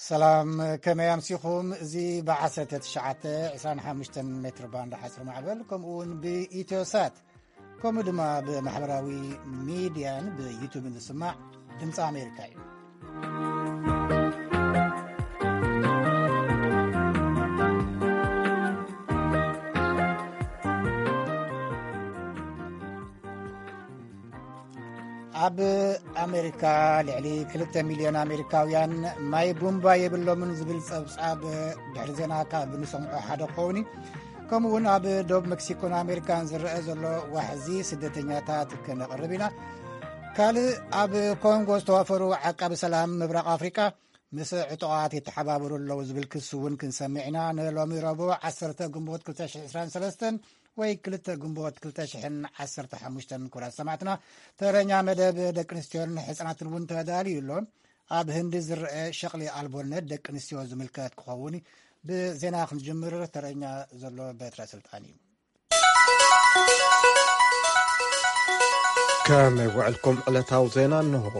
ሰላም፣ ከመይ ኣምሲኹም? እዚ ብ1925 ሜትር ባንድ ሓፂር ማዕበል፣ ከምኡ እውን ብኢትዮሳት፣ ከምኡ ድማ ብማሕበራዊ ሚድያን ብዩቱብን ዝስማዕ ድምፂ ኣሜሪካ እዩ። ኣብ ኣሜሪካ ልዕሊ 2 ሚልዮን ኣሜሪካውያን ማይ ቡምባ የብሎምን ዝብል ጸብጻብ ድሕሪ ዜና ካብ ንሰምዖ ሓደ ክኸውን እዩ። ከምኡ እውን ኣብ ዶብ ሜክሲኮን ኣሜሪካን ዝረአ ዘሎ ዋሕዚ ስደተኛታት ክነቕርብ ኢና። ካልእ ኣብ ኮንጎ ዝተዋፈሩ ዓቃቢ ሰላም ምብራቕ ኣፍሪቃ ምስ ዕጡቓት ይተሓባበሩ ኣለዉ ዝብል ክሲ እውን ክንሰምዕ ኢና። ንሎሚ ረቡዕ 10 ግንቦት 2023 ወይ 2 ግንቦት 2015 ክቡራት ሰማዕትና፣ ተረኛ መደብ ደቂ ኣንስትዮን ሕፃናትን እውን ተዳልዩ ኣሎ። ኣብ ህንዲ ዝረአ ሸቕሊ ኣልቦነት ደቂ ኣንስትዮ ዝምልከት ክኸውን ብዜና ክንጅምር ተረኛ ዘሎ በትረ ስልጣን እዩ። ከመይ ውዕልኩም? ዕለታዊ ዜና እንሆ።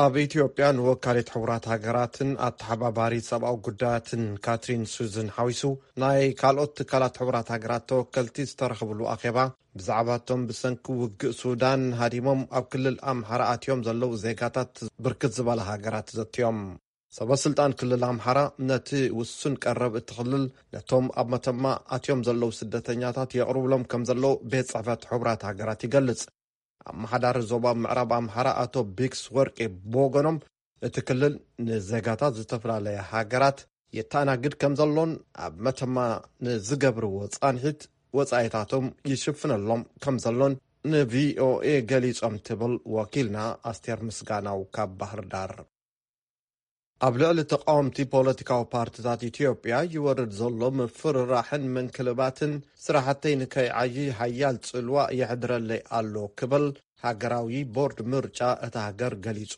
ኣብ ኢትዮጵያ ንወካሊት ሕቡራት ሃገራትን ኣተሓባባሪ ሰብኣዊ ጉዳያትን ካትሪን ሱዝን ሓዊሱ ናይ ካልኦት ትካላት ሕቡራት ሃገራት ተወከልቲ ዝተረኽብሉ ኣኼባ ብዛዕባቶም ብሰንኪ ውግእ ሱዳን ሃዲሞም ኣብ ክልል ኣምሓራ ኣትዮም ዘለዉ ዜጋታት ብርክት ዝበላ ሃገራት ዘትዮም። ሰበስልጣን ክልል ኣምሓራ ነቲ ውሱን ቀረብ እቲ ክልል ነቶም ኣብ መተማ ኣትዮም ዘለዉ ስደተኛታት የቕርብሎም ከም ዘለዉ ቤት ጽሕፈት ሕቡራት ሃገራት ይገልጽ። ኣመሓዳሪ ዞባ ምዕራብ ኣምሓራ ኣቶ ቢክስ ወርቂ ብወገኖም እቲ ክልል ንዜጋታት ዝተፈላለያ ሃገራት የተኣናግድ ከም ዘሎን ኣብ መተማ ንዝገብርዎ ጻንሒት ወጻኢታቶም ይሽፍነሎም ከም ዘሎን ንቪኦኤ ገሊጾም ትብል ወኪልና ኣስቴር ምስጋናው ካብ ባህር ዳር። ኣብ ልዕሊ ተቃወምቲ ፖለቲካዊ ፓርትታት ኢትዮጵያ ይወርድ ዘሎ ምፍርራሕን ምንክልባትን ስራሕተይ ንከይዓዪ ሓያል ጽልዋ የሕድረለይ ኣሎ ክብል ሃገራዊ ቦርድ ምርጫ እታ ሃገር ገሊጹ።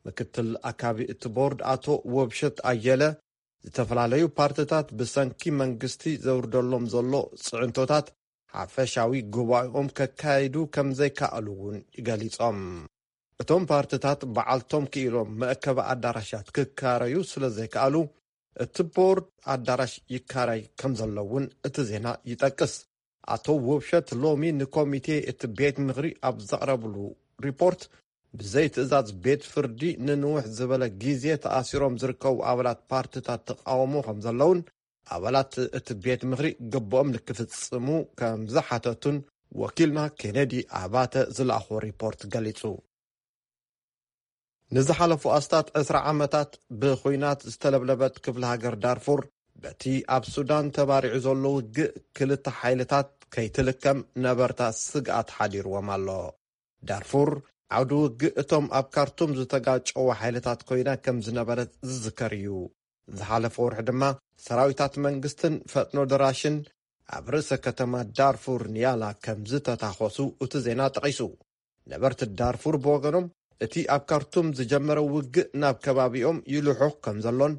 ምክትል ኣካቢ እቲ ቦርድ ኣቶ ወብሸት ኣየለ፣ ዝተፈላለዩ ፓርትታት ብሰንኪ መንግስቲ ዘውርደሎም ዘሎ ጽዕንቶታት ሓፈሻዊ ጉባኤኦም ከካይዱ ከም ዘይከኣሉ እውን ገሊጾም። እቶም ፓርትታት በዓልቶም ክኢሎም መእከቢ ኣዳራሻት ክካረዩ ስለ ዘይከኣሉ፣ እቲ ቦርድ ኣዳራሽ ይካረይ ከም ዘሎ እውን እቲ ዜና ይጠቅስ። ኣቶ ውብሸት ሎሚ ንኮሚቴ እቲ ቤት ምኽሪ ኣብ ዘቕረብሉ ሪፖርት፣ ብዘይ ትእዛዝ ቤት ፍርዲ ንንውሕ ዝበለ ግዜ ተኣሲሮም ዝርከቡ ኣባላት ፓርትታት ተቃውሞ ከም ዘለውን ኣባላት እቲ ቤት ምኽሪ ግብኦም ንክፍጽሙ ከም ዝሓተቱን ወኪልና ኬነዲ ኣባተ ዝለኣኾ ሪፖርት ገሊጹ። ንዝሓለፉ ኣስታት 20 ዓመታት ብኹናት ዝተለብለበት ክፍለ ሃገር ዳርፉር፣ በቲ ኣብ ሱዳን ተባሪዑ ዘሎ ውግእ ክልተ ሓይልታት ከይትልከም ነበርታ ስግኣት ሓዲርዎም ኣሎ። ዳርፉር ዓውዲ ውግእ እቶም ኣብ ካርቱም ዝተጋጨዉ ሓይልታት ኮይና ከም ዝነበረት ዝዝከር እዩ። ዝሓለፈ ወርሒ ድማ ሰራዊታት መንግስትን ፈጥኖ ደራሽን ኣብ ርእሰ ከተማ ዳርፉር ኒያላ ከም ዝተታኾሱ እቲ ዜና ጠቒሱ። ነበርቲ ዳርፉር ብወገኖም፣ እቲ ኣብ ካርቱም ዝጀመረ ውግእ ናብ ከባቢኦም ይልሑኽ ከም ዘሎን፣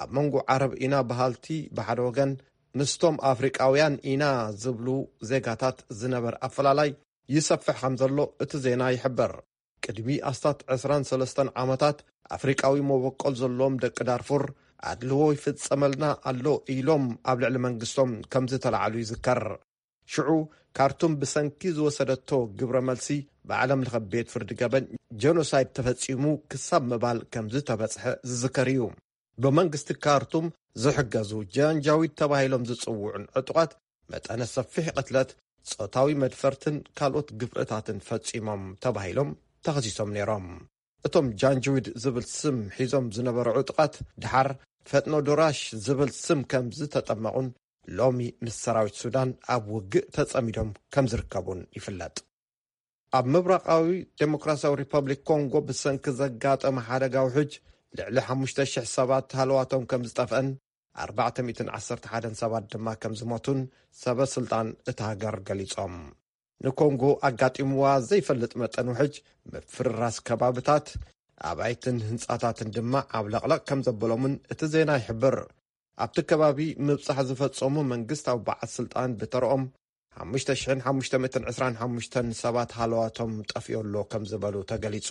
ኣብ መንጎ ዓረብ ኢና በሃልቲ ብሓደ ወገን፣ ምስቶም ኣፍሪቃውያን ኢና ዝብሉ ዜጋታት ዝነበር ኣፈላላይ ይሰፍሕ ከም ዘሎ እቲ ዜና ይሕብር። ቅድሚ ኣስታት 23 ዓመታት ኣፍሪቃዊ መበቆል ዘለዎም ደቂ ዳርፉር ኣድልዎ ይፍጸመልና ኣሎ ኢሎም ኣብ ልዕሊ መንግስቶም ከም ዝተላዕሉ ይዝከር። ሽዑ ካርቱም ብሰንኪ ዝወሰደቶ ግብረ መልሲ ብዓለም ለኸ ቤት ፍርዲ ገበን ጀኖሳይድ ተፈጺሙ ክሳብ ምባል ከም ዝተበጽሐ ዝዝከር እዩ። ብመንግስቲ ካርቱም ዝሕገዙ ጃንጃዊድ ተባሂሎም ዝጽውዑን ዕጡቓት መጠነ ሰፊሕ ቅትለት፣ ጾታዊ መድፈርትን ካልኦት ግፍዕታትን ፈጺሞም ተባሂሎም ተኸሲሶም ነይሮም። እቶም ጃንጅዊድ ዝብል ስም ሒዞም ዝነበሩ ዕጡቓት ድሓር ፈጥኖ ዶራሽ ዝብል ስም ከም ዝተጠመቑን ሎሚ ምስ ሰራዊት ሱዳን ኣብ ውግእ ተጸሚዶም ከም ዝርከቡን ይፍለጥ። ኣብ ምብራቓዊ ዴሞክራሲያዊ ሪፐብሊክ ኮንጎ ብሰንኪ ዘጋጠመ ሓደጋ ውሕጅ ልዕሊ 5,000 ሰባት ሃለዋቶም ከም ዝጠፍአን 411 ሰባት ድማ ከም ዝሞቱን ሰበ ስልጣን እታ ሃገር ገሊጾም። ንኮንጎ ኣጋጢምዋ ዘይፈልጥ መጠን ውሕጅ፣ ምፍርራስ ከባብታት፣ ኣባይትን ህንጻታትን ድማ ዓብለቕለቕ ከም ዘበሎምን እቲ ዜና ይሕብር። ኣብቲ ከባቢ ምብጻሕ ዝፈጸሙ መንግስታዊ በዓል ስልጣን ብተረኦም 5,525 ሰባት ሃለዋቶም ጠፊኡ ኣሎ ከም ዝበሉ ተገሊጹ።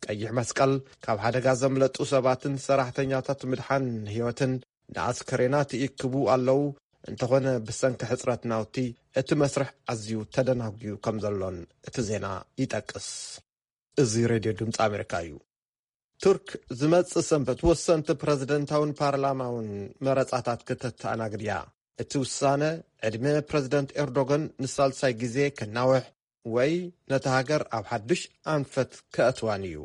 ቀይሕ መስቀል ካብ ሓደጋ ዘምለጡ ሰባትን ሰራሕተኛታት ምድሓን ህይወትን ንኣስከሬናት ይእክቡ ኣለዉ። እንተኾነ ብሰንኪ ሕጽረት ናውቲ እቲ መስርሕ ኣዝዩ ተደናጒዩ ከም ዘሎን እቲ ዜና ይጠቅስ። እዚ ሬድዮ ድምፂ ኣሜሪካ እዩ። ቱርክ ዝመጽእ ሰንበት ወሰንቲ ፕረዚደንታውን ፓርላማውን መረጻታት ክተተኣናግድ እያ። እቲ ውሳነ ዕድመ ፕረዚደንት ኤርዶጋን ንሳልሳይ ግዜ ክናውሕ ወይ ነታ ሃገር ኣብ ሓድሽ ኣንፈት ከእትዋን እዩ።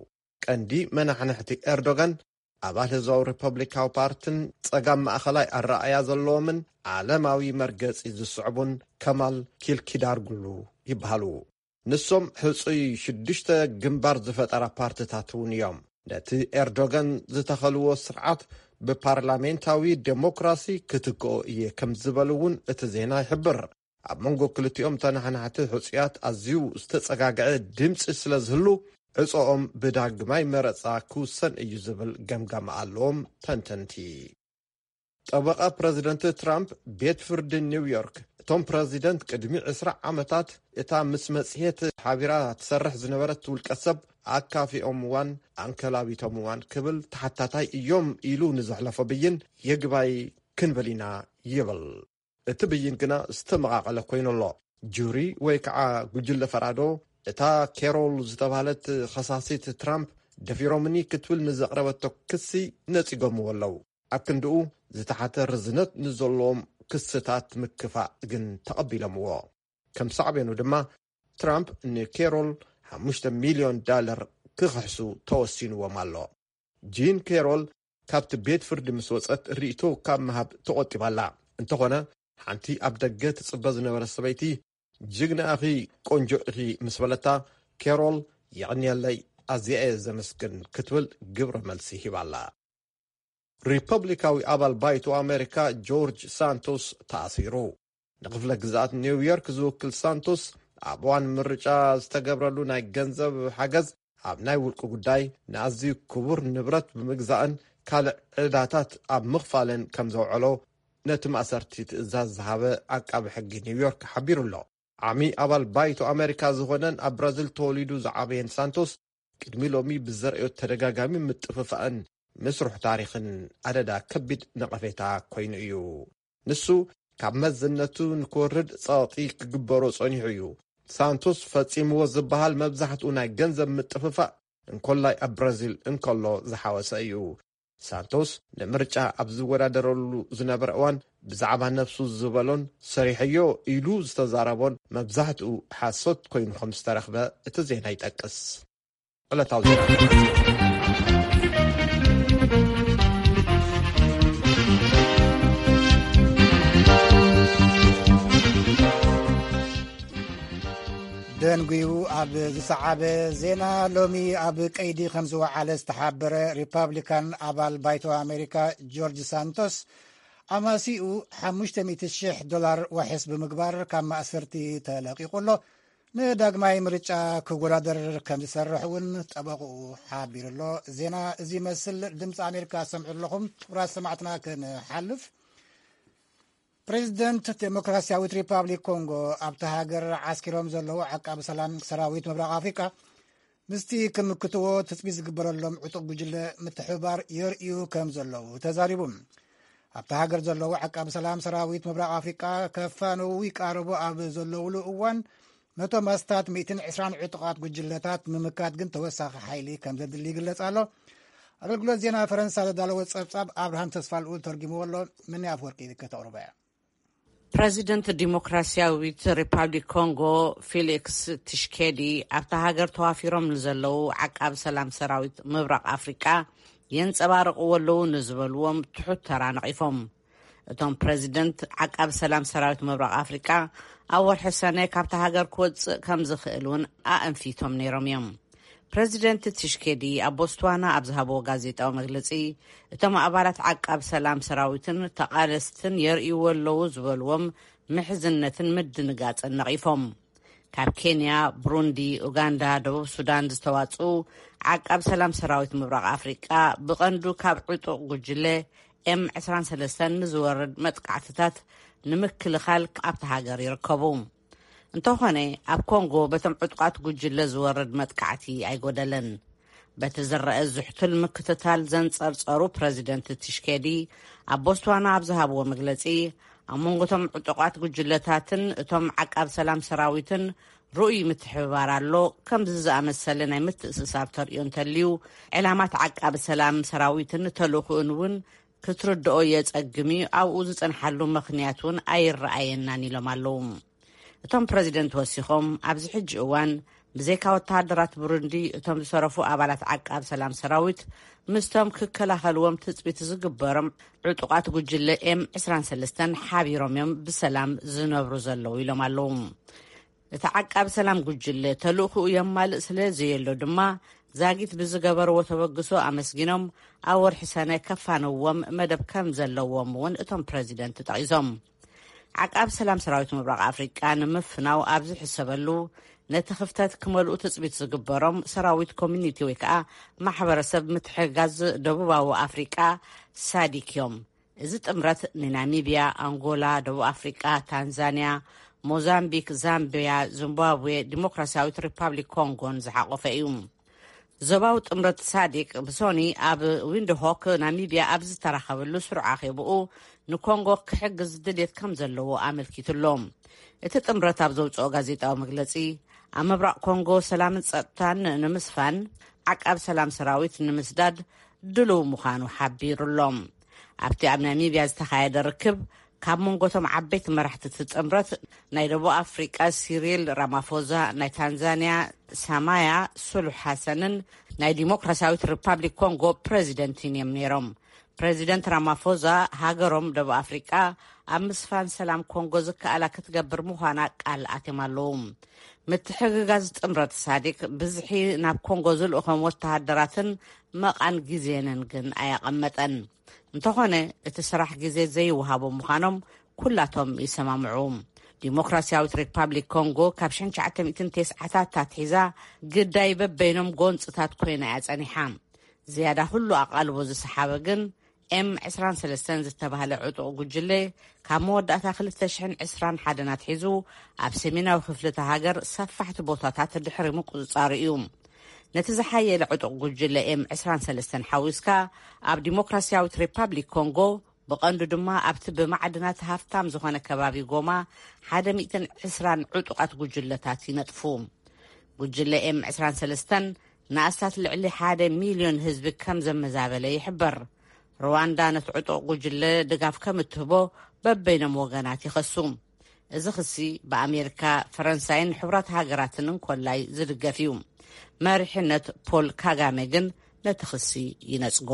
ቀንዲ መናሕንሕቲ ኤርዶጋን ኣባል ህዝባዊ ሪፐብሊካዊ ፓርትን ጸጋም ማእኸላይ ኣረኣእያ ዘለዎምን ዓለማዊ መርገጺ ዝስዕቡን ከማል ኪልኪዳርግሉ ይበሃሉ። ንሶም ሕጹይ ሽዱሽተ ግንባር ዝፈጠራ ፓርትታት እውን እዮም። ነቲ ኤርዶጋን ዝተኸልዎ ስርዓት ብፓርላሜንታዊ ዴሞክራሲ ክትክኦ እየ ከም ዝበሉ እውን እቲ ዜና ይሕብር። ኣብ መንጎ ክልቲኦም ተናሓናሕቲ ሕጹያት ኣዝዩ ዝተጸጋግዐ ድምጺ ስለ ዝህሉ፣ ዕጾኦም ብዳግማይ መረጻ ክውሰን እዩ ዝብል ገምጋም ኣለዎም ተንተንቲ። ጠበቓ ፕረዚደንት ትራምፕ ቤት ፍርዲ ኒውዮርክ፣ እቶም ፕረዚደንት ቅድሚ ዕስራ ዓመታት እታ ምስ መጽሔት ሓቢራ ትሰርሕ ዝነበረት ውልቀ ሰብ ኣካፊኦምዋን ኣንከላቢቶምዋን ክብል ተሓታታይ እዮም ኢሉ ንዘሕለፎ ብይን ይግባይ ክንብል ኢና ይብል። እቲ ብይን ግና ዝተመቓቐለ ኮይኑ ኣሎ። ጁሪ ወይ ከዓ ጉጅለ ፈራዶ እታ ኬሮል ዝተባህለት ኸሳሲት ትራምፕ ደፊሮምኒ ክትብል ንዘቕረበቶ ክሲ ነጺጎምዎ ኣለዉ። ኣብ ክንድኡ ዝተሓተ ርዝነት ንዘለዎም ክስታት ምክፋእ ግን ተቐቢሎምዎ። ከም ሳዕቤኑ ድማ ትራምፕ ንኬሮል ሓሙሽተ ሚልዮን ዳለር ክኽሕሱ ተወሲንዎም ኣሎ። ጂን ኬሮል ካብቲ ቤት ፍርዲ ምስ ወጸት ርእይቶ ካብ ምሃብ ተቖጢባ ኣላ። እንተኾነ ሓንቲ ኣብ ደገ ትጽበ ዝነበረ ሰበይቲ ጅግና ኢኺ ቆንጆ ኢኺ ምስ በለታ ኬሮል የቐንየለይ ኣዝየ እየ ዘመስግን ክትብል ግብረ መልሲ ሂባ ኣላ። ሪፐብሊካዊ ኣባል ባይቶ ኣሜሪካ ጆርጅ ሳንቶስ ተኣሲሩ። ንክፍለ ግዝኣት ኒውዮርክ ዝውክል ሳንቶስ ኣብ እዋን ምርጫ ዝተገብረሉ ናይ ገንዘብ ሓገዝ ኣብ ናይ ውልቂ ጉዳይ ንኣዝዩ ክቡር ንብረት ብምግዛእን ካልእ ዕዳታት ኣብ ምኽፋልን ከም ዘውዐሎ ነቲ ማእሰርቲ ትእዛዝ ዝሃበ ዓቃቢ ሕጊ ኒውዮርክ ሓቢሩ ኣሎ። ዓሚ ኣባል ባይቶ ኣሜሪካ ዝኾነን ኣብ ብራዚል ተወሊዱ ዝዓበየን ሳንቶስ ቅድሚ ሎሚ ብዘርእዮ ተደጋጋሚ ምጥፍፋእን ምስሩሕ ታሪኽን ኣደዳ ከቢድ ነቐፌታ ኮይኑ እዩ። ንሱ ካብ መዝነቱ ንክወርድ ጸቕጢ ክግበሮ ጸኒሑ እዩ። ሳንቶስ ፈጺምዎ ዝበሃል መብዛሕትኡ ናይ ገንዘብ ምጥፍፋእ እንኮላይ ኣብ ብራዚል እንከሎ ዝሓወሰ እዩ። ሳንቶስ ንምርጫ ኣብ ዝወዳደረሉ ዝነበረ እዋን ብዛዕባ ነብሱ ዝበሎን ሰሪሐዮ ኢሉ ዝተዛረቦን መብዛሕትኡ ሓሶት ኮይኑ ከም ዝተረኽበ እቲ ዜና ይጠቅስ። ዕለታዊ ዜና። ደንጉዩ ኣብ ዝሰዓበ ዜና፣ ሎሚ ኣብ ቀይዲ ከም ዝወዓለ ዝተሓበረ ሪፓብሊካን ኣባል ባይቶ ኣሜሪካ ጆርጅ ሳንቶስ ኣማሲኡ ሓሙሽተ ሚእቲ ሽሕ ዶላር ዋሕስ ብምግባር ካብ ማእሰርቲ ተለቂቑ ኣሎ። ንዳግማይ ምርጫ ክወዳደር ከም ዝሰርሕ እውን ጠበቕኡ ሓቢሩ ኣሎ። ዜና እዚ ይመስል። ድምፂ ኣሜሪካ ሰምዑ ኣለኹም። ክቡራት ሰማዕትና ክንሓልፍ፣ ፕሬዚደንት ዴሞክራሲያዊት ሪፓብሊክ ኮንጎ ኣብታ ሃገር ዓስኪሮም ዘለዉ ዓቃቢ ሰላም ሰራዊት ምብራቕ ኣፍሪቃ ምስቲ ክምክትዎ ትጽቢት ዝግበረሎም ዕጡቕ ጉጅለ ምትሕብባር የርእዩ ከም ዘለዉ ተዛሪቡ። ኣብታ ሃገር ዘለዉ ዓቃቢ ሰላም ሰራዊት ምብራቕ ኣፍሪቃ ከፋነዉ ይቃረቡ ኣብ ዘለዉሉ እዋን፣ ነቶም ኣስታት ሚእትን ዕስራን ዕጡቓት ጉጅለታት ንምምካት ግን ተወሳኺ ሓይሊ ከም ዘድሊ ይግለጽ ኣሎ። ኣገልግሎት ዜና ፈረንሳ ዘዳለዎ ጸብጻብ ኣብርሃም ተስፋልኡል ተርጊምዎ ኣሎ። ምኒ ኣፍወርቂ ከተቕርቦ እያ። ፕረዚደንት ዲሞክራሲያዊት ሪፓብሊክ ኮንጎ ፊሊክስ ትሽኬዲ ኣብታ ሃገር ተዋፊሮም ንዘለዉ ዓቃብ ሰላም ሰራዊት ምብራቕ ኣፍሪቃ የንጸባርቕዎ ኣለዉ ንዝበልዎም ትሑት ተራ ነቒፎም። እቶም ፕረዚደንት ዓቃብ ሰላም ሰራዊት ምብራቕ ኣፍሪቃ ኣብ ወርሒ ሰነ ካብታ ሃገር ክወጽእ ከም ዝኽእል እውን ኣእንፊቶም ነይሮም እዮም። ፕረዚደንት ትሽኬዲ ኣብ ቦትስዋና ኣብ ዝሃብዎ ጋዜጣዊ መግለጺ፣ እቶም ኣባላት ዓቃብ ሰላም ሰራዊትን ተቓለስትን የርእይዎ ኣለዉ ዝበልዎም ምሕዝነትን ምድንጋጽን ነቒፎም። ካብ ኬንያ፣ ብሩንዲ፣ ኡጋንዳ፣ ደቡብ ሱዳን ዝተዋጽኡ ዓቃብ ሰላም ሰራዊት ምብራቕ ኣፍሪቃ ብቐንዱ ካብ ዕጡቕ ጉጅለ ኤም ዕስራን ሰለስተን ንዝወርድ መጥቃዕትታት ንምክልኻል ኣብታ ሃገር ይርከቡ። እንተኾነ፣ ኣብ ኮንጎ በቶም ዕጡቓት ጉጅለ ዝወርድ መጥቃዕቲ ኣይጎደለን። በቲ ዝረአ ዝሕቱል ምክትታል ዘንጸርጸሩ ፕረዚደንት ቲሽኬዲ ኣብ ቦስዋና ኣብ ዝሃብዎ መግለጺ፣ ኣብ መንጎቶም ዕጡቓት ጉጅለታትን እቶም ዓቃብ ሰላም ሰራዊትን ርኡይ ምትሕብባር ኣሎ። ከምዚ ዝኣመሰለ ናይ ምትእስሳር ተርእዮ እንተልዩ፣ ዕላማት ዓቃብ ሰላም ሰራዊትን ተልእኾኡን እውን ክትርድኦ የጸግም እዩ። ኣብኡ ዝጸንሓሉ ምኽንያት እውን ኣይረኣየናን ኢሎም ኣለዉ። እቶም ፕረዚደንት ወሲኾም፣ ኣብዚ ሕጂ እዋን ብዘይካ ወተሃደራት ብሩንዲ፣ እቶም ዝተረፉ ኣባላት ዓቃብ ሰላም ሰራዊት ምስቶም ክከላኸልዎም ትጽቢት ዝግበሮም ዕጡቓት ጉጅለ ኤም ዕስራን ሰለስተን ሓቢሮም እዮም ብሰላም ዝነብሩ ዘለዉ ኢሎም ኣለዉ። እቲ ዓቃብ ሰላም ጉጅለ ተልእኹኡ የማልእ ስለ ዘየሎ ድማ፣ ዛጊት ብዝገበርዎ ተበግሶ ኣመስጊኖም፣ ኣብ ወርሒ ሰነ ከፋንዎም መደብ ከም ዘለዎም እውን እቶም ፕረዚደንት ጠቒሶም። ዓቃብ ሰላም ሰራዊት ምብራቕ ኣፍሪቃ ንምፍናው ኣብ ዝሕሰበሉ፣ ነቲ ክፍተት ክመልኡ ትጽቢት ዝግበሮም ሰራዊት ኮሚኒቲ ወይ ከዓ ማሕበረሰብ ምትሕግጋዝ ደቡባዊ ኣፍሪቃ፣ ሳዲክ እዮም። እዚ ጥምረት ንናሚብያ፣ ኣንጎላ፣ ደቡብ ኣፍሪቃ፣ ታንዛንያ፣ ሞዛምቢክ፣ ዛምቢያ፣ ዚምባብዌ፣ ዲሞክራሲያዊት ሪፓብሊክ ኮንጎን ዝሓቆፈ እዩ። ዞባዊ ጥምረት ሳዲክ ብሶኒ ኣብ ዊንድሆክ፣ ናሚብያ፣ ኣብ ዝተራኸበሉ ስሩዕ ኣኼብኡ፣ ንኮንጎ ክሕግዝ ድሌት ከም ዘለዎ ኣመልኪቱ ኣሎ። እቲ ጥምረት ኣብ ዘውፅኦ ጋዜጣዊ መግለፂ፣ ኣብ ምብራቕ ኮንጎ ሰላምን ጸጥታን ንምስፋን ዓቃብ ሰላም ሰራዊት ንምስዳድ ድሉው ምዃኑ ሓቢሩ ኣሎ። ኣብቲ ኣብ ናሚብያ ዝተኻየደ ርክብ፣ ካብ መንጎቶም ዓበይቲ መራሕቲ እቲ ጥምረት፣ ናይ ደቡብ ኣፍሪቃ ሲሪል ራማፎዛ፣ ናይ ታንዛንያ ሳማያ ሱሉሕ ሓሰንን ናይ ዲሞክራሲያዊት ሪፓብሊክ ኮንጎ ፕረዚደንትን እዮም ነይሮም። ፕረዚደንት ራማፎዛ፣ ሃገሮም ደቡብ ኣፍሪቃ ኣብ ምስፋን ሰላም ኮንጎ ዝከኣላ ክትገብር ምዃና ቃል ኣትዮም ኣለዉ። ምትሕግጋዝ ጥምረት ሳዲክ፣ ብዝሒ ናብ ኮንጎ ዝልእኾም ወተሃደራትን መቓን ግዜንን ግን ኣየቐመጠን። እንተኾነ፣ እቲ ስራሕ ግዜ ዘይወሃቦም ምዃኖም ኩላቶም ይሰማምዑ። ዲሞክራሲያዊት ሪፓብሊክ ኮንጎ ካብ ሽሕን ትሽዓተ ሚእትን ተስዓታት ኣትሒዛ ግዳይ በበይኖም ጎንጽታት ኮይና እያ ጸኒሓ። ዝያዳ ኩሉ ኣቓልቦ ዝሰሓበ ግን ኤም ዕስራን ሰለስተን ዝተባህለ ዕጡቕ ጉጅለ፣ ካብ መወዳእታ ክልተ ሽሕን ዕስራን ሓደን ኣትሒዙ ኣብ ሰሜናዊ ክፍሊ እታ ሃገር ሰፋሕቲ ቦታታት ድሕሪ ምቁጽጻሩ እዩ። ነቲ ዝሓየለ ዕጡቕ ጉጅለ ኤም ዕስራን ሰለስተን ሓዊስካ፣ ኣብ ዲሞክራሲያዊት ሪፓብሊክ ኮንጎ፣ ብቐንዱ ድማ ኣብቲ ብማዕድናት ሃፍታም ዝኾነ ከባቢ ጎማ፣ ሓደ ሚእትን ዕስራን ዕጡቓት ጉጅለታት ይነጥፉ። ጉጅለ ኤም ዕስራን ሰለስተን ንኣስታት ልዕሊ ሓደ ሚልዮን ህዝቢ ከም ዘመዛበለ ይሕበር። ሩዋንዳ ነቲ ዕጡቕ ጉጅለ ድጋፍ ከም እትህቦ በበይኖም ወገናት ይኸሱ። እዚ ክሲ ብኣሜሪካ፣ ፈረንሳይን ሕቡራት ሃገራትን እንኮላይ ዝድገፍ እዩ። መሪሕነት ፖል ካጋሜ ግን ነቲ ክሲ ይነጽጎ።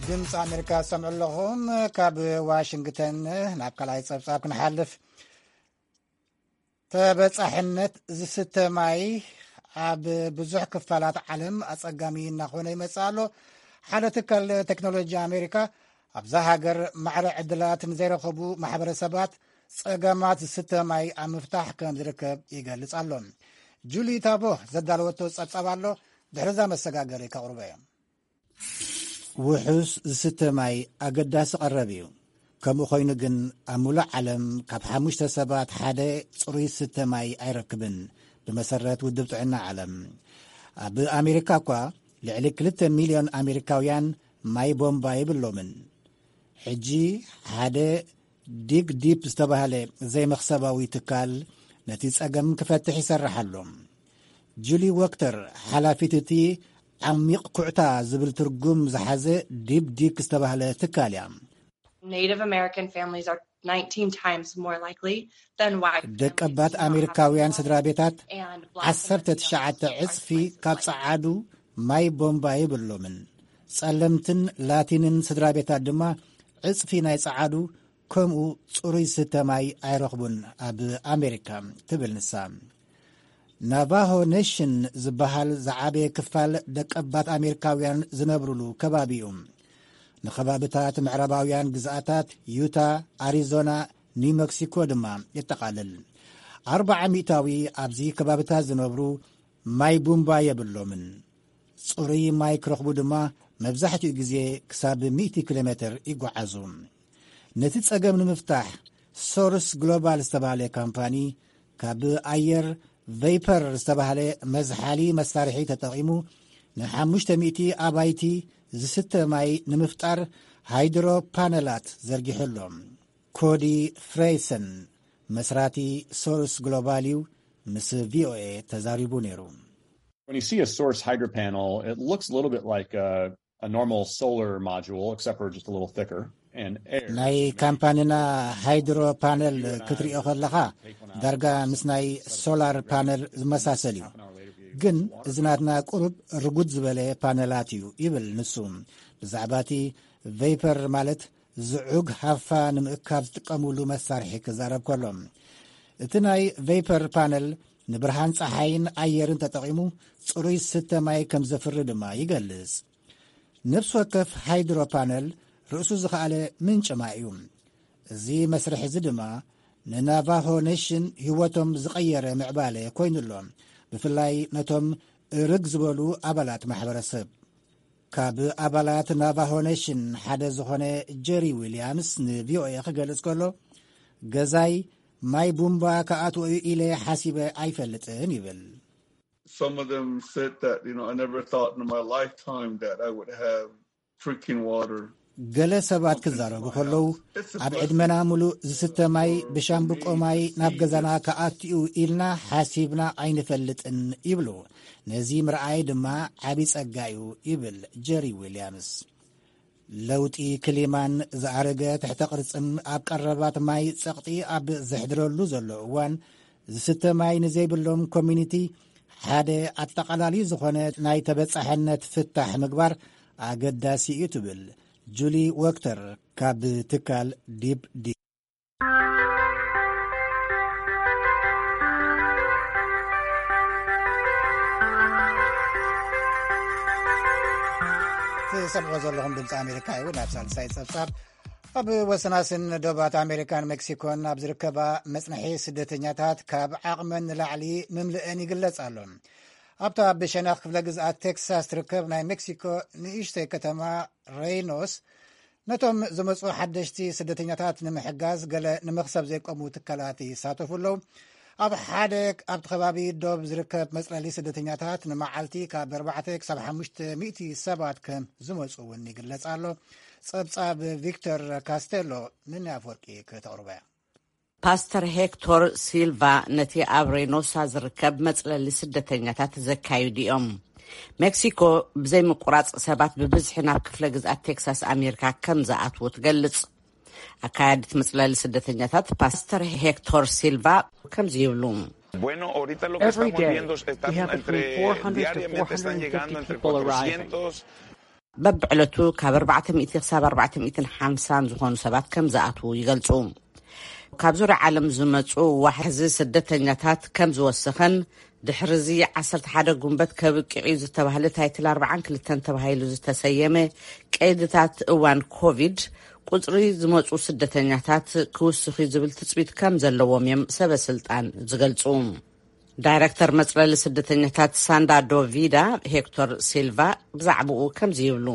ድምፂ ኣሜሪካ ዝሰምዑ ኣለኹም። ካብ ዋሽንግተን ናብ ካልኣይ ጸብጻብ ክንሓልፍ። ተበጻሕነት ዝስተ ማይ ኣብ ብዙሕ ክፋላት ዓለም ኣጸጋሚ እናኾነ ይመጽእ ኣሎ። ሓደ ትካል ቴክኖሎጂ ኣሜሪካ ኣብዛ ሃገር ማዕረ ዕድላት ንዘይረኸቡ ማሕበረሰባት ጸገማት ዝስተ ማይ ኣብ ምፍታሕ ከም ዝርከብ ይገልጽ ኣሎ። ጁሊ ታቦ ዘዳለወቶ ጸብጻብ ኣሎ። ድሕሪ እዛ መሰጋገሪ ከቕርቦ እየ። ውሑስ ዝስተ ማይ ኣገዳሲ ቀረብ እዩ። ከምኡ ኮይኑ ግን፣ ኣብ ሙሉእ ዓለም ካብ ሓሙሽተ ሰባት ሓደ ጽሩይ ዝስተ ማይ ኣይረክብን፣ ብመሰረት ውድብ ጥዕና ዓለም። ኣብ ኣሜሪካ እኳ፣ ልዕሊ ክልተ ሚልዮን ኣሜሪካውያን ማይ ቦምባ የብሎምን። ሕጂ ሓደ ዲግ ዲፕ ዝተባህለ ዘይመኽሰባዊ ትካል ነቲ ጸገም ክፈትሕ ይሰርሕ ኣሎ። ጁሊ ወክተር፣ ሓላፊት እቲ ዓሚቕ ኩዕታ ዝብል ትርጉም ዝሓዘ ዲፕ ዲክ ዝተባህለ ትካል እያ። Native American families are nineteen times more likely than white ደቀባት families to not have ኣሜሪካውያን cell ስድራ ቤታት and black ዓሰርተ ትሽዓተ ዕጽፊ ካብ ጸዓዱ ማይ ቦምባ የብሎምን። ጸለምትን ላቲንን ስድራ ቤታት ድማ ዕጽፊ ናይ ጸዓዱ ከምኡ ጽሩይ ዝስተ ማይ ኣይረኽቡን ኣብ ኣሜሪካ፣ ትብል ንሳ። ናቫሆ ኔሽን ዝበሃል ዝዓበየ ክፋል ደቀባት ኣሜሪካውያን ዝነብሩሉ ከባቢ እዩ። ንከባብታት ምዕራባውያን ግዝኣታት ዩታ፣ ኣሪዞና፣ ኒው መክሲኮ ድማ የጠቓልል። ኣርብዓ ሚእታዊ ኣብዚ ከባብታት ዝነብሩ ማይ ቡምባ የብሎምን። ጽሩይ ማይ ክረኽቡ ድማ መብዛሕትኡ ግዜ ክሳብ ሚእቲ ኪሎ ሜትር ይጓዓዙ። ነቲ ጸገም ንምፍታሕ፣ ሶርስ ግሎባል ዝተባህለ ካምፓኒ፣ ካብ ኣየር ቬይፐር ዝተባህለ መዝሓሊ መሳርሒ ተጠቒሙ፣ ንሓሙሽተ ሚእቲ ኣባይቲ ዝስተ ማይ ንምፍጣር ሃይድሮ ፓነላት ዘርጊሑ ኣሎ። ኮዲ ፍሬሰን፣ መስራቲ ሶርስ ግሎባል እዩ፣ ምስ ቪኦኤ ተዛሪቡ ነይሩ። When you see a source hydro panel, it looks a little bit like a, a normal solar module, except for just a little thicker and air. ናይ ካምፓኒና ሃይድሮ ፓነል ክትሪኦ ከለኻ፣ ዳርጋ ምስ ናይ ሶላር ፓነል ዝመሳሰል እዩ። ግን እዚ ናትና ቁሩብ ርጉድ ዝበለ ፓነላት እዩ፣ ይብል ንሱ። ብዛዕባ እቲ ቬይፐር፣ ማለት ዝዑግ ሃፋ ንምእካብ ዝጥቀሙሉ መሳርሒ ክዛረብ ከሎ፣ እቲ ናይ ቬይፐር ፓነል ንብርሃን ጸሓይን ኣየርን ተጠቒሙ ጽሩይ ዝስተ ማይ ከም ዘፍሪ ድማ ይገልጽ። ነፍሲ ወከፍ ሃይድሮ ፓነል ርእሱ ዝኸኣለ ምንጪ ማይ እዩ። እዚ መስርሕ እዚ ድማ ንናቫሆ ኔሽን ህይወቶም ዝቐየረ ምዕባለ ኮይኑ ኣሎ፣ ብፍላይ ነቶም እርግ ዝበሉ ኣባላት ማሕበረሰብ። ካብ ኣባላት ናቫሆ ኔሽን ሓደ ዝኾነ ጀሪ ዊልያምስ ንቪኦኤ ክገልጽ ከሎ፣ ገዛይ ማይ ቡምባ ክኣትዎ እዩ ኢለ ሓሲበ ኣይፈልጥን ይብል። Some of them said that, you know, I never thought in my lifetime that I would have drinking water. ገለ ሰባት ክዛረቡ ከለዉ፣ ኣብ ዕድመና ምሉእ ዝስተ ማይ ብሻምብቆ ማይ ናብ ገዛና ክኣትዩ ኢልና ሓሲብና ኣይንፈልጥን ይብሉ። ነዚ ምርኣይ ድማ ዓቢ ጸጋ እዩ ይብል ጀሪ ዊልያምስ። ለውጢ ክሊማን ዝኣረገ ትሕተ ቅርጽን ኣብ ቀረባት ማይ ጸቕጢ ኣብ ዘሕድረሉ ዘሎ እዋን፣ ዝስተ ማይ ንዘይብሎም ኮሚኒቲ ሓደ ኣጠቓላሊ ዝኾነ ናይ ተበጻሕነት ፍታሕ ምግባር ኣገዳሲ እዩ ትብል ጁሊ ወክተር ካብ ትካል ዲፕ ዲ። ትሰምዖ ዘለኹም ድምፂ ኣሜሪካ እዩ። ናብ ሳልሳይ ፀብፃብ፣ ኣብ ወሰናስን ዶባት ኣሜሪካን ሜክሲኮን ኣብ ዝርከባ መፅንሒ ስደተኛታት ካብ ዓቕመን ንላዕሊ ምምልአን ይግለጽ ኣሎ። ኣብታ ብሸነኽ ክፍለ ግዝኣት ቴክሳስ ትርከብ ናይ ሜክሲኮ ንእሽተይ ከተማ ሬይኖስ፣ ነቶም ዝመፁ ሓደሽቲ ስደተኛታት ንምሕጋዝ ገለ ንመኽሰብ ዘይቆሙ ትካላት ይሳተፉ ኣለዉ። ኣብ ሓደ ኣብቲ ከባቢ ዶብ ዝርከብ መፅለሊ ስደተኛታት ንመዓልቲ ካብ ኣርባዕተ ክሳብ ሓሙሽተ ሚእቲ ሰባት ከም ዝመፁ እውን ይግለጽ ኣሎ። ጸብጻብ ቪክተር ካስቴሎ፣ ንናይ ኣፍወርቂ ከተቕርቦ እያ። ፓስተር ሄክቶር ሲልቫ ነቲ ኣብ ሬኖሳ ዝርከብ መጽለሊ ስደተኛታት ዘካይዱ እዮም። ሜክሲኮ ብዘይ ምቁራጽ ሰባት ብብዝሒ ናብ ክፍለ ግዝኣት ቴክሳስ ኣሜሪካ ከም ዝኣትዉ ትገልጽ። ኣካያዲት መጽለሊ ስደተኛታት ፓስተር ሄክቶር ሲልቫ ከምዚ ይብሉ። Bueno, ahorita lo que estamos viendo es que están entre, diariamente están llegando entre cuatrocientos. በብዕለቱ ካብ ኣርባዕተ ሚእቲ ክሳብ ኣርባዕተ ሚእትን ሓምሳን ዝኾኑ ሰባት ከም ዝኣትዉ ይገልጹ። ካብ ዙርያ ዓለም ዝመጹ ዋሕዚ ስደተኛታት ከም ዝወሰኸን፣ ድሕርዚ ዓሰርተ ሓደ ጉንበት ከብቅዕ እዩ ዝተባህለ ታይትል ኣርባዓን ክልተን ተባሂሉ ዝተሰየመ ቀይድታት እዋን ኮቪድ፣ ቁጽሪ ዝመጹ ስደተኛታት ክውስኽ እዩ ዝብል ትጽቢት ከም ዘለዎም እዮም ሰበ ስልጣን ዝገልጹ። ዳይረክተር መጽለሊ ስደተኛታት ሳንዳ ዶቪዳ፣ ሄክቶር ሲልቫ፣ ብዛዕባኡ ከምዚ ይብሉ።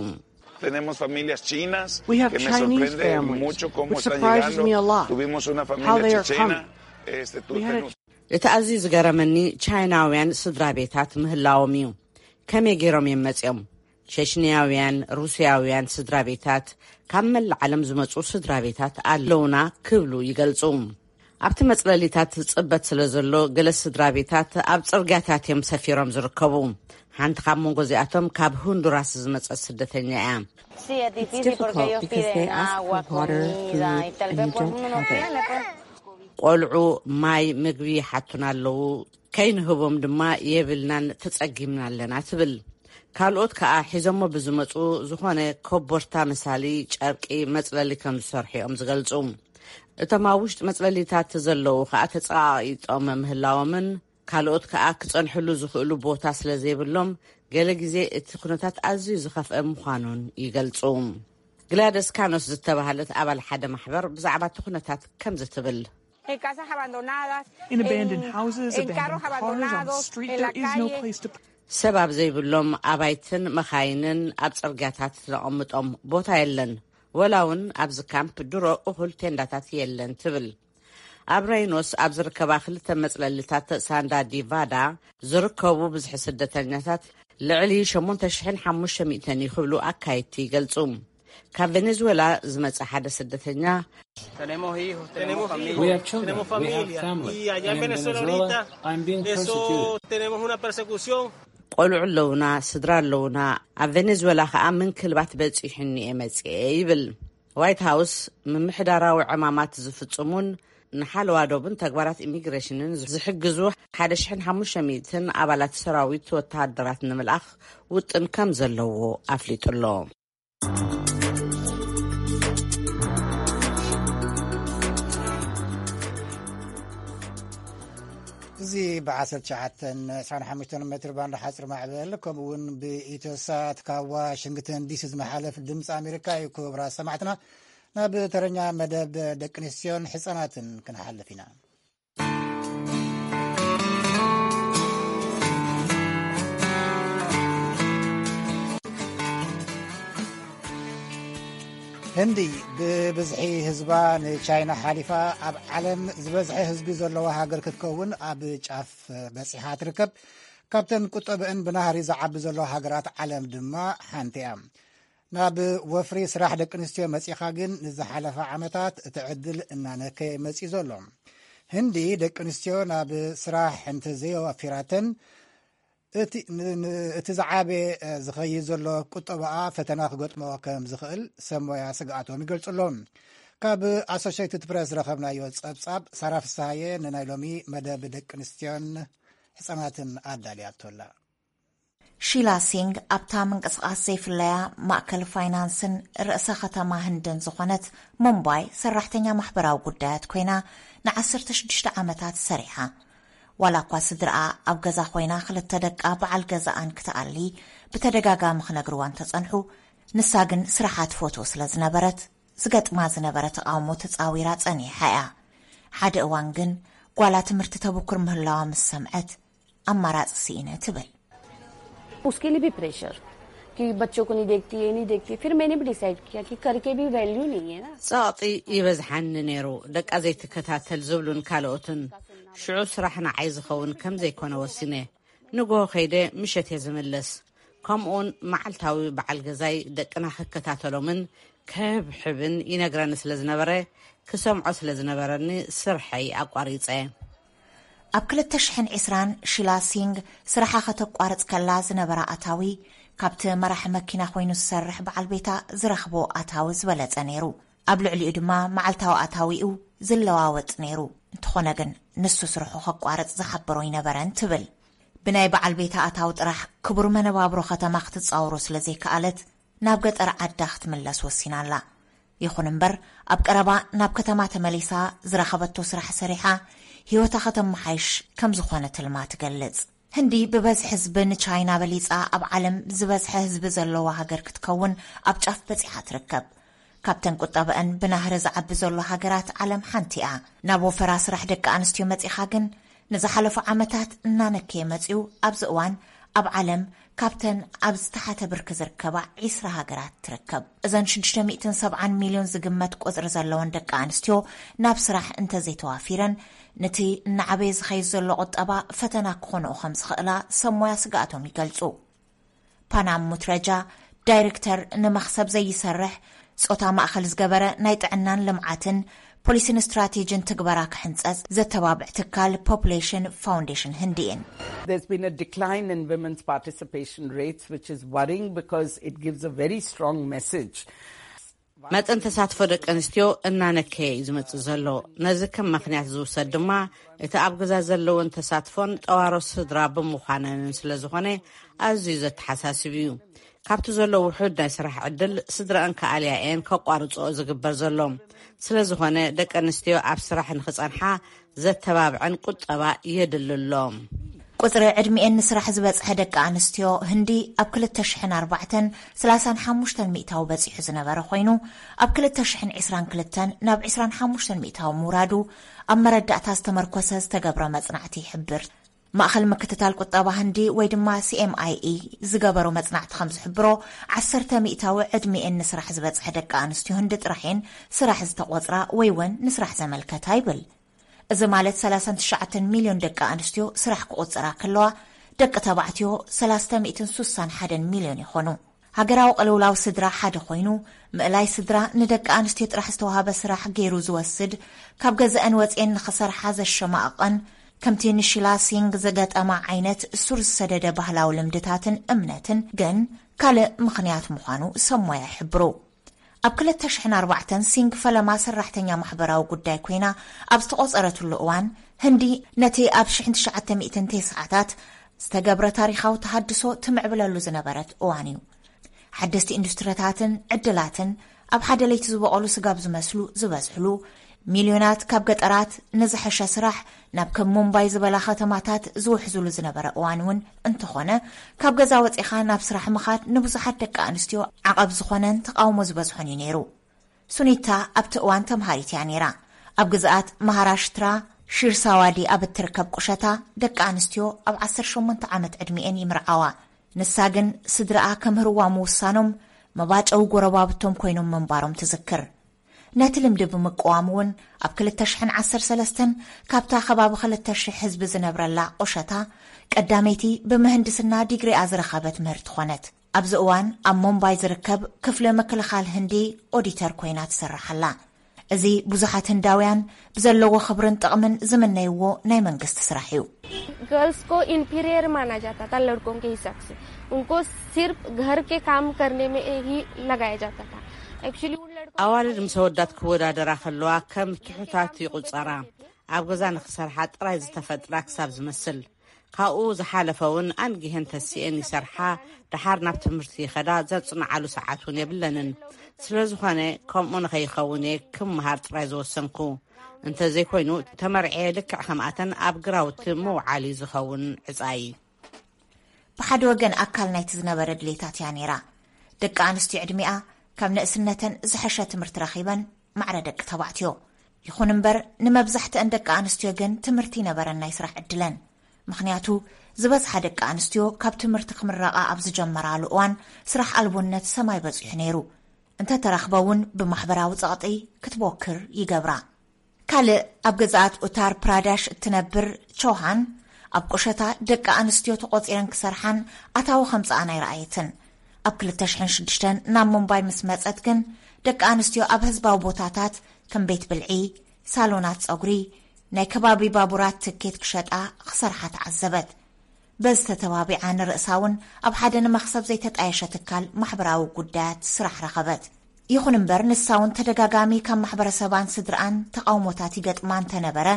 Tenemos familias chinas We have que me Chinese sorprende families, mucho cómo which están surprises llegando. Me a lot. Tuvimos una How familia they are chechena. Coming. Este, tú We had a tenemos- እቲ ኣዝዩ ዝገረመኒ፣ ቻይናውያን ስድራ ቤታት ምህላዎም እዩ። ከመይ ገይሮም እዮም መጺኦም? ሸሽንያውያን፣ ሩስያውያን ስድራ ቤታት፣ ካብ መላእ ዓለም ዝመጹ ስድራ ቤታት ኣለውና ክብሉ ይገልጹ። ኣብቲ መጽለሊታት ጽበት ስለ ዘሎ፣ ገለ ስድራ ቤታት ኣብ ጽርግያታት እዮም ሰፊሮም ዝርከቡ። ሓንቲ ካብ መንጎ እዚኣቶም ካብ ሁንዱራስ ዝመጸት ስደተኛ እያ። Sí, es difícil porque ellos piden agua, comida y tal vez pues uno no tiene, pues. ቆልዑ ማይ፣ ምግቢ ይሓቱና ኣለዉ። ከይንህቦም ድማ የብልናን፣ ተጸጊምና ኣለና ትብል። ካልኦት ከኣ ሒዞሞ ብዝመጹ ዝኾነ ኮቦርታ መሳሊ ጨርቂ መጽለሊ ከም ዝሰርሑ እዮም ዝገልጹ። እቶም ኣብ ውሽጢ መጽለሊታት ዘለዉ ከኣ ተጸቓቒጦም ምህላዎምን ካልኦት ከኣ ክጸንሕሉ ዝኽእሉ ቦታ ስለ ዘይብሎም፣ ገለ ግዜ እቲ ኩነታት ኣዝዩ ዝኸፍአ ምዃኑን ይገልጹ። ግላደስ ካኖስ ዝተባህለት ኣባል ሓደ ማሕበር ብዛዕባ እቲ ኩነታት ከምዚ ትብል። In abandoned houses, abandoned cars, on the street, there is no place to. ሰብ ኣብ ዘይብሎም ኣባይትን መኻይንን ኣብ ጽርግያታት ነቐምጦም፣ ቦታ የለን። ወላ እውን ኣብዚ ካምፕ ድሮ እኹል ቴንዳታት የለን ትብል። ኣብ ሬይኖስ ኣብ ዝርከባ ክልተ መጽለልታት ሳንዳ ዲቫዳ ዝርከቡ ብዝሒ ስደተኛታት ልዕሊ ሸሞንተ ሽሕን ሓሙሽተ ሚእትን እዩ ክብሉ ኣካየድቲ ይገልጹ። ካብ ቬኔዙዌላ ዝመጸ ሓደ ስደተኛ፣ We have children, we have family, and in Venezuela, I'm being persecuted. ቆልዑ ኣለውና፣ ስድራ ኣለውና፣ ኣብ ቬኔዙዌላ ከኣ ምንክልባት በጺሑኒ እየ መጽኤ ይብል። ዋይት ሃውስ ምምሕዳራዊ ዕማማት ዝፍጽሙን ንሓለዋ ዶብን ተግባራት ኢሚግሬሽንን ዝሕግዙ ሓደ ሽሕን ሓሙሽተ ሚእትን ኣባላት ሰራዊት ወተሃደራት ንምልኣኽ ውጥን ከም ዘለዎ ኣፍሊጡ ኣሎ። እዚ ብ19 25 ሜትር ባንድ ሓፅር ማዕበል ከምኡ እውን ብኢትዮሳት ካብ ዋሽንግተን ዲሲ ዝመሓለፍ ድምፂ ኣሜሪካ እዩ። ክቡራት ሰማዕትና፣ ናብ ተረኛ መደብ ደቂ ኣንስትዮን ሕፃናትን ክንሓልፍ ኢና። ህንዲ ብብዝሒ ህዝባ ንቻይና ሓሊፋ ኣብ ዓለም ዝበዝሐ ህዝቢ ዘለዋ ሃገር ክትከውን ኣብ ጫፍ በፂሓ ትርከብ። ካብተን ቁጠበአን ብናህሪ ዝዓቢ ዘለዋ ሃገራት ዓለም ድማ ሓንቲ እያ። ናብ ወፍሪ ስራሕ ደቂ ኣንስትዮ መፂኻ ግን ንዝሓለፈ ዓመታት እቲ ዕድል እናነከየ መፂኡ ዘሎ። ህንዲ ደቂ ኣንስትዮ ናብ ስራሕ እንተዘየዋፊራተን እቲ ዝዓበየ ዝኸይድ ዘሎ ቁጠባኣ ፈተና ክገጥሞ ከም ዝኽእል ሰብ ሞያ ስግኣቶም ይገልጹ ኣለዉ። ካብ ኣሶሽትድ ፕረስ ዝረኸብናዮ ጸብጻብ ሳራ ፍስሃየ ንናይ ሎሚ መደብ ደቂ ኣንስትዮን ሕጻናትን ኣዳልያቶላ። ሺላ ሲንግ ኣብታ ምንቅስቓስ ዘይፍለያ ማእከል ፋይናንስን ርእሰ ከተማ ህንድን ዝኾነት ሙምባይ ሰራሕተኛ ማሕበራዊ ጉዳያት ኮይና ን16 ዓመታት ሰሪሓ። ዋላ እኳ ስድራኣ ኣብ ገዛ ኮይና ክልተ ደቃ በዓል ገዛኣን ክትኣሊ ብተደጋጋሚ ክነግርዋ እንተጸንሑ፣ ንሳ ግን ስራሓ ትፈትዎ ስለ ዝነበረት፣ ዝገጥማ ዝነበረ ተቓውሞ ተጻዊራ ጸኒሓ እያ። ሓደ እዋን ግን ጓላ ትምህርቲ ተብኩር ምህላዋ ምስ ሰምዐት፣ ኣማራጺ ስኢነ ትብል። उसके लिए भी प्रेशर कि बच्चों को नहीं देखती, ये नहीं देखती। फिर मैंने भी डिसाइड किया कि करके भी वैल्यू नहीं है ना। ጸቕጢ ይበዝሓኒ ነይሩ፣ ደቃ ዘይትከታተል ዝብሉን ካልኦትን። ሽዑ ስራሕ ንዓይ ዝኸውን ከም ዘይኮነ ወሲነ። ንግሆ ከይደ ምሸት እየ ዝምለስ። ከምኡውን መዓልታዊ በዓል ገዛይ ደቅና ክከታተሎምን ክህብሕብን ይነግረኒ ስለ ዝነበረ፣ ክሰምዖ ስለ ዝነበረኒ ስርሐይ ኣቋሪጸ። ኣብ ክልተ ሽሕን ዕስራን ሺላ ሲንግ ስራሓ ከተቋርጽ ከላ ዝነበራ ኣታዊ፣ ካብቲ መራሒ መኪና ኮይኑ ዝሰርሕ በዓል ቤታ ዝረኽቦ ኣታዊ ዝበለጸ ነይሩ። ኣብ ልዕሊኡ ድማ መዓልታዊ ኣታዊኡ ዝለዋወጥ ነይሩ። እንተኾነ ግን ንሱ ስርሑ ከቋርጽ ዝሓበሮ ኣይነበረን ትብል። ብናይ በዓል ቤታ ኣታዊ ጥራሕ ክቡር መነባብሮ ከተማ ክትጻወሮ ስለ ዘይከኣለት ናብ ገጠር ዓዳ ክትምለስ ወሲና ኣላ። ይኹን እምበር ኣብ ቀረባ ናብ ከተማ ተመሊሳ ዝረኸበቶ ስራሕ ሰሪሓ ህይወታ ከተመሓይሽ ከም ዝኾነ ትልማ ትገልጽ። ህንዲ ብበዝሒ ህዝቢ ንቻይና በሊጻ ኣብ ዓለም ዝበዝሐ ህዝቢ ዘለዋ ሃገር ክትከውን ኣብ ጫፍ በጺሓ ትርከብ። ካብተን ቁጠበአን ብናህሪ ዝዓቢ ዘሎ ሃገራት ዓለም ሓንቲ እያ። ናብ ወፈራ ስራሕ ደቂ ኣንስትዮ መጺኻ ግን ንዝሓለፉ ዓመታት እናነከየ መጺኡ ኣብዚ እዋን ኣብ ዓለም ካብተን ኣብ ዝተሓተ ብርኪ ዝርከባ ዒስራ ሃገራት ትርከብ። እዘን ሽዱሽተ ሚእትን ሰብዓን ሚልዮን ዝግመት ቁጽሪ ዘለወን ደቂ ኣንስትዮ ናብ ስራሕ እንተዘይተዋፊረን፣ ነቲ እናዓበየ ዝኸይድ ዘሎ ቁጠባ ፈተና ክኾንኦ ከም ዝኽእላ ሰብ ሞያ ስግኣቶም ይገልጹ። ፓናም ሙትረጃ፣ ዳይሬክተር ንመኽሰብ ዘይሰርሕ ጾታ ማእኸል ዝገበረ ናይ ጥዕናን ልምዓትን ፖሊሲን ስትራቴጂን ትግበራ ክሕንጸጽ ዘተባብዕ ትካል ፖፑሌሽን ፋውንዴሽን ህንዲ እየን። There's been a decline in women's participation rates, which is worrying because it gives a very strong message. መጠን ተሳትፎ ደቂ ኣንስትዮ እናነከየ እዩ ዝመጽእ ዘሎ። ነዚ ከም ምኽንያት ዝውሰድ ድማ እቲ ኣብ ገዛ ዘለውን ተሳትፎን ጠዋሮ ስድራ ብምዃነንን ስለ ዝኾነ ኣዝዩ ዘተሓሳስብ እዩ። ካብቲ ዘሎ ውሑድ ናይ ስራሕ ዕድል ስድራኣን ከኣልያ እየን ከቋርጽኦ ዝግበር ዘሎ። ስለ ዝኾነ ደቂ ኣንስትዮ ኣብ ስራሕ ንኽጸንሓ ዘተባብዐን ቁጠባ የድሊ ኣሎ። ቁጽሪ ዕድሚኤን ንስራሕ ዝበጽሐ ደቂ ኣንስትዮ ህንዲ ኣብ ክልተ ሽሕን ኣርባዕተን ሰላሳን ሓሙሽተን ሚእታዊ በጺሑ ዝነበረ ኮይኑ፣ ኣብ ክልተ ሽሕን ዕስራን ክልተን ናብ ዕስራን ሓሙሽተን ሚእታዊ ምውራዱ ኣብ መረዳእታ ዝተመርኮሰ ዝተገብረ መጽናዕቲ ይሕብር። ማእኸል ምክትታል ቁጠባ ህንዲ ወይ ድማ ሲኤምኣይኢ ዝገበሮ መጽናዕቲ ከም ዝሕብሮ፣ ዓሰርተ ሚእታዊ ዕድሚኤን ንስራሕ ዝበጽሐ ደቂ ኣንስትዮ ህንዲ ጥራሕ እየን ስራሕ ዝተቖጽራ ወይ እውን ንስራሕ ዘመልከታ ይብል። እዚ ማለት ሰላሳን ትሽዓተን ሚልዮን ደቂ ኣንስትዮ ስራሕ ክቑጽራ ከለዋ፣ ደቂ ተባዕትዮ ሰላስተ ሚእትን ሱሳን ሓደን ሚልዮን ይኾኑ። ሃገራዊ ቅልውላው ስድራ ሓደ ኮይኑ፣ ምእላይ ስድራ ንደቂ ኣንስትዮ ጥራሕ ዝተዋሃበ ስራሕ ገይሩ ዝወስድ፣ ካብ ገዛኤን ወጺኤን ንኽሰርሓ ዘሸማቕቐን፣ ከምቲ ንሺላ ሲንግ ዝገጠማ ዓይነት ሱር ዝሰደደ ባህላዊ ልምድታትን እምነትን ግን ካልእ ምኽንያት ምዃኑ ሰብ ሞያ ይሕብሩ። ኣብ ክልተ ሽሕን ኣርባዕተን ሲንግ ፈለማ ሰራሕተኛ ማሕበራዊ ጉዳይ ኮይና ኣብ ዝተቖጸረትሉ እዋን፣ ህንዲ ነቲ ኣብ ሽሕን ትሽዓተ ሚእትን ተስዓታት ዝተገብረ ታሪኻዊ ተሃድሶ ትምዕብለሉ ዝነበረት እዋን እዩ። ሓደስቲ ኢንዱስትሪታትን ዕድላትን ኣብ ሓደ ለይቲ ዝበቐሉ ስጋብ ዝመስሉ ዝበዝሕሉ፣ ሚልዮናት ካብ ገጠራት ንዝሐሸ ስራሕ ናብ ከም ሙምባይ ዝበላ ከተማታት ዝውሕዝሉ ዝነበረ እዋን እውን እንተኾነ፣ ካብ ገዛ ወጺኻ ናብ ስራሕ ምኻድ ንብዙሓት ደቂ ኣንስትዮ ዓቐብ ዝኾነን ተቓውሞ ዝበዝሖን እዩ ነይሩ። ሱኒታ ኣብቲ እዋን ተምሃሪት እያ ነይራ። ኣብ ግዝኣት ማሃራሽትራ ሺርሳዋዲ ኣብ እትርከብ ቁሸታ፣ ደቂ ኣንስትዮ ኣብ ዓሰርተ ሸሞንተ ዓመት ዕድሚኤን ይምርዓዋ። ንሳ ግን ስድራኣ ከምህርዋ ምውሳኖም፣ መባጨዊ ጎረባብቶም ኮይኖም ምንባሮም ትዝክር። ነቲ ልምዲ ብምቅዋም እውን፣ ኣብ ክልተ ሽሕን ዓሰርተ ሰለስተን ካብታ ከባቢ ክልተ ሽሕ ህዝቢ ዝነብረላ ቁሸታ፣ ቀዳመይቲ ብምህንድስና ዲግሪኣ ዝረኸበት ምህርቲ ኾነት። ኣብዚ እዋን ኣብ ሙምባይ ዝርከብ ክፍሊ ምክልኻል ህንዲ ኦዲተር ኮይና ትሰርሕ ኣላ። እዚ ብዙሓት ህንዳውያን ብዘለዎ ክብርን ጥቕምን ዝምነይዎ ናይ መንግስቲ ስራሕ እዩ። गर्ल्स को इन्फीरियर माना जाता था लड़कों के हिसाब से। उनको सिर्फ घर के काम करने में ही लगाया जाता था। एक्चुअली उन लड़कों ኣዋልድ ምስ ኣወዳት ክወዳደራ ከለዋ ከም ትሑታት ይቑጸራ። ኣብ ገዛ ንኽሰርሓ ጥራይ ዝተፈጥራ ክሳብ ዝመስል። ካብኡ ዝሓለፈ እውን ኣንጊሀን ተሲኤን ይሰርሓ፣ ደሓር ናብ ትምህርቲ ይኸዳ፣ ዘጽንዓሉ ሰዓት እውን የብለንን። ስለ ዝኾነ ከምኡ ንኸይኸውን እየ ክምሃር ጥራይ ዝወሰንኩ። እንተዘይኮይኑ ተመርዕየ ልክዕ ከምኣተን ኣብ ግራውቲ ምውዓል እዩ ዝኸውን ዕጻይ። ብሓደ ወገን ኣካል ናይቲ ዝነበረ ድሌታት እያ ነይራ። ደቂ ኣንስትዮ ዕድሚኣ ካብ ንእስነተን ዝሐሸ ትምህርቲ ረኺበን ማዕረ ደቂ ተባዕትዮ። ይኹን እምበር ንመብዛሕትአን ደቂ ኣንስትዮ ግን ትምህርቲ ይነበረን ናይ ስራሕ ዕድለን። ምኽንያቱ ዝበዝሓ ደቂ ኣንስትዮ ካብ ትምህርቲ ክምረቓ ኣብ ዝጀመራሉ እዋን ስራሕ ኣልቦነት ሰማይ በጺሑ ነይሩ። እንተተረኽበ እውን ብማሕበራዊ ጸቕጢ ክትቦክር ይገብራ። ካልእ ኣብ ገዛኣት ኡታር ፕራዳሽ እትነብር ቾሃን፣ ኣብ ቁሸታ ደቂ ኣንስትዮ ተቖጺረን ክሰርሓን ኣታዊ ከምጽኣን ኣይረኣየትን። ኣብ ክልተ ሽሕን ሽዱሽተን ናብ ሙምባይ ምስ መጸት ግን፣ ደቂ ኣንስትዮ ኣብ ህዝባዊ ቦታታት ከም ቤት ብልዒ፣ ሳሎናት ጸጉሪ፣ ናይ ከባቢ ባቡራት ትኬት ክሸጣ ክሰርሓ ተዓዘበት። በዚ ተተባቢዓ ንርእሳ እውን ኣብ ሓደ ንመኽሰብ ዘይተጣየሸ ትካል ማሕበራዊ ጉዳያት ስራሕ ረኸበት። ይኹን እምበር ንሳ እውን ተደጋጋሚ ካብ ማሕበረሰባን ስድርኣን ተቓውሞታት ይገጥማ እንተነበረ፣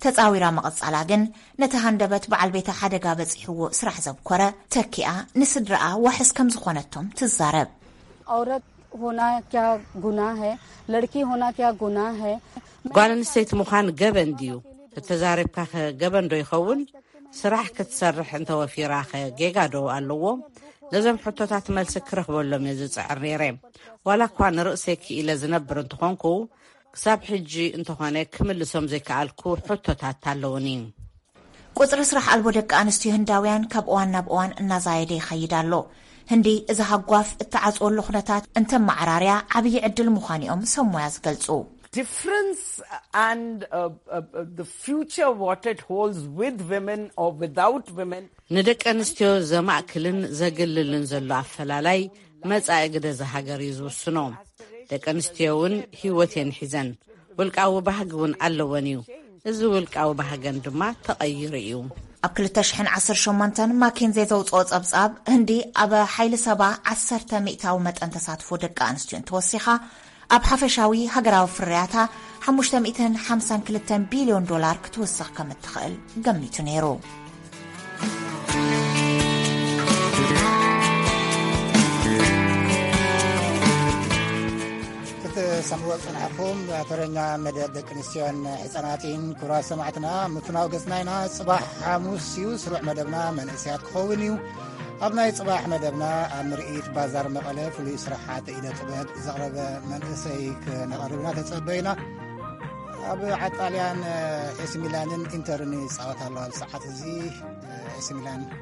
ተጻዊራ ምቕጻላ ግን ነቲ ሃንደበት በዓል ቤታ ሓደጋ በጺሕዎ ስራሕ ዘብኮረ ተኪኣ ንስድርኣ ዋሕስ ከም ዝኾነቶም ትዛረብ። औरत होना क्या गुनाह है? लड़की होना क्या गुनाह है? ጓል ኣንስተይቲ ምዃን ገበን ድዩ? ተተዛሪብካኸ ገበን ዶ ይኸውን? ስራሕ ክትሰርሕ እንተወፊራኸ ጌጋ ዶ ኣለዎ? ነዞም ሕቶታት መልሲ ክረኽበሎም እየ ዝጽዕር ነይረ። ዋላ እኳ ንርእሰይ ክኢለ ዝነብር እንተኾንኩ፣ ክሳብ ሕጂ እንተኾነ ክምልሶም ዘይከኣልኩ ሕቶታት ኣለውኒ። ቁጽሪ ስራሕ ኣልቦ ደቂ ኣንስትዮ ህንዳውያን ካብ እዋን ናብ እዋን እናዛየደ ይኸይድ ኣሎ። ህንዲ እዚ ሃጓፍ እተዓጽወሉ ኩነታት እንተመዓራርያ ዓብዪ ዕድል ምዃኑ እዮም ሰብ ሞያ ዝገልጹ። Difference and uh, uh, uh, the future what it holds with women or without women. ንደቂ ኣንስትዮ ዘማእክልን ዘግልልን ዘሎ ኣፈላላይ መጻኢ ግደ እዛ ሃገር እዩ ዝውስኖ። ደቂ ኣንስትዮ እውን ህይወት እየን ሒዘን፣ ውልቃዊ ባህጊ እውን ኣለወን እዩ። እዚ ውልቃዊ ባህገን ድማ ተቐይሩ እዩ። ኣብ ክልተ ሽሕን ዓሰርተ ሸሞንተን ማኬንዜ ዘውፅኦ ጸብጻብ፣ ህንዲ ኣብ ሓይሊ ሰባ ዓሰርተ ሚእታዊ መጠን ተሳትፎ ደቂ ኣንስትዮ እንተወሲኻ፣ ኣብ ሓፈሻዊ ሃገራዊ ፍርያታ ሓሙሽተ ሚእትን ሓምሳን ክልተን ቢልዮን ዶላር ክትውስኽ ከም እትኽእል ገሚቱ ነይሩ። ክትሰምዕዎ ዝጸናሕኩም ተረኛ መደብ ደቂ ኣንስትዮን ሕጻናትን። ክቡራት ሰማዕትና፣ ምፍናው ገጽና ኢና። ጽባሕ ሓሙስ እዩ፣ ስሩዕ መደብና መንእሰያት ክኸውን እዩ። ኣብ ናይ ጽባሕ መደብና፣ ኣብ ምርኢት ባዛር መቐለ ፍሉይ ስራሓት ኢደ ጥበብ ዘቕረበ መንእሰይ ክነቕርብ ኢና ተጸበዩና። ኣብ ዓጣልያን ኤሲ ሚላንን ኢንተርን ይጻወት ኣሎ። ኣብ ሰዓት እዚ ኤሲ ሚላን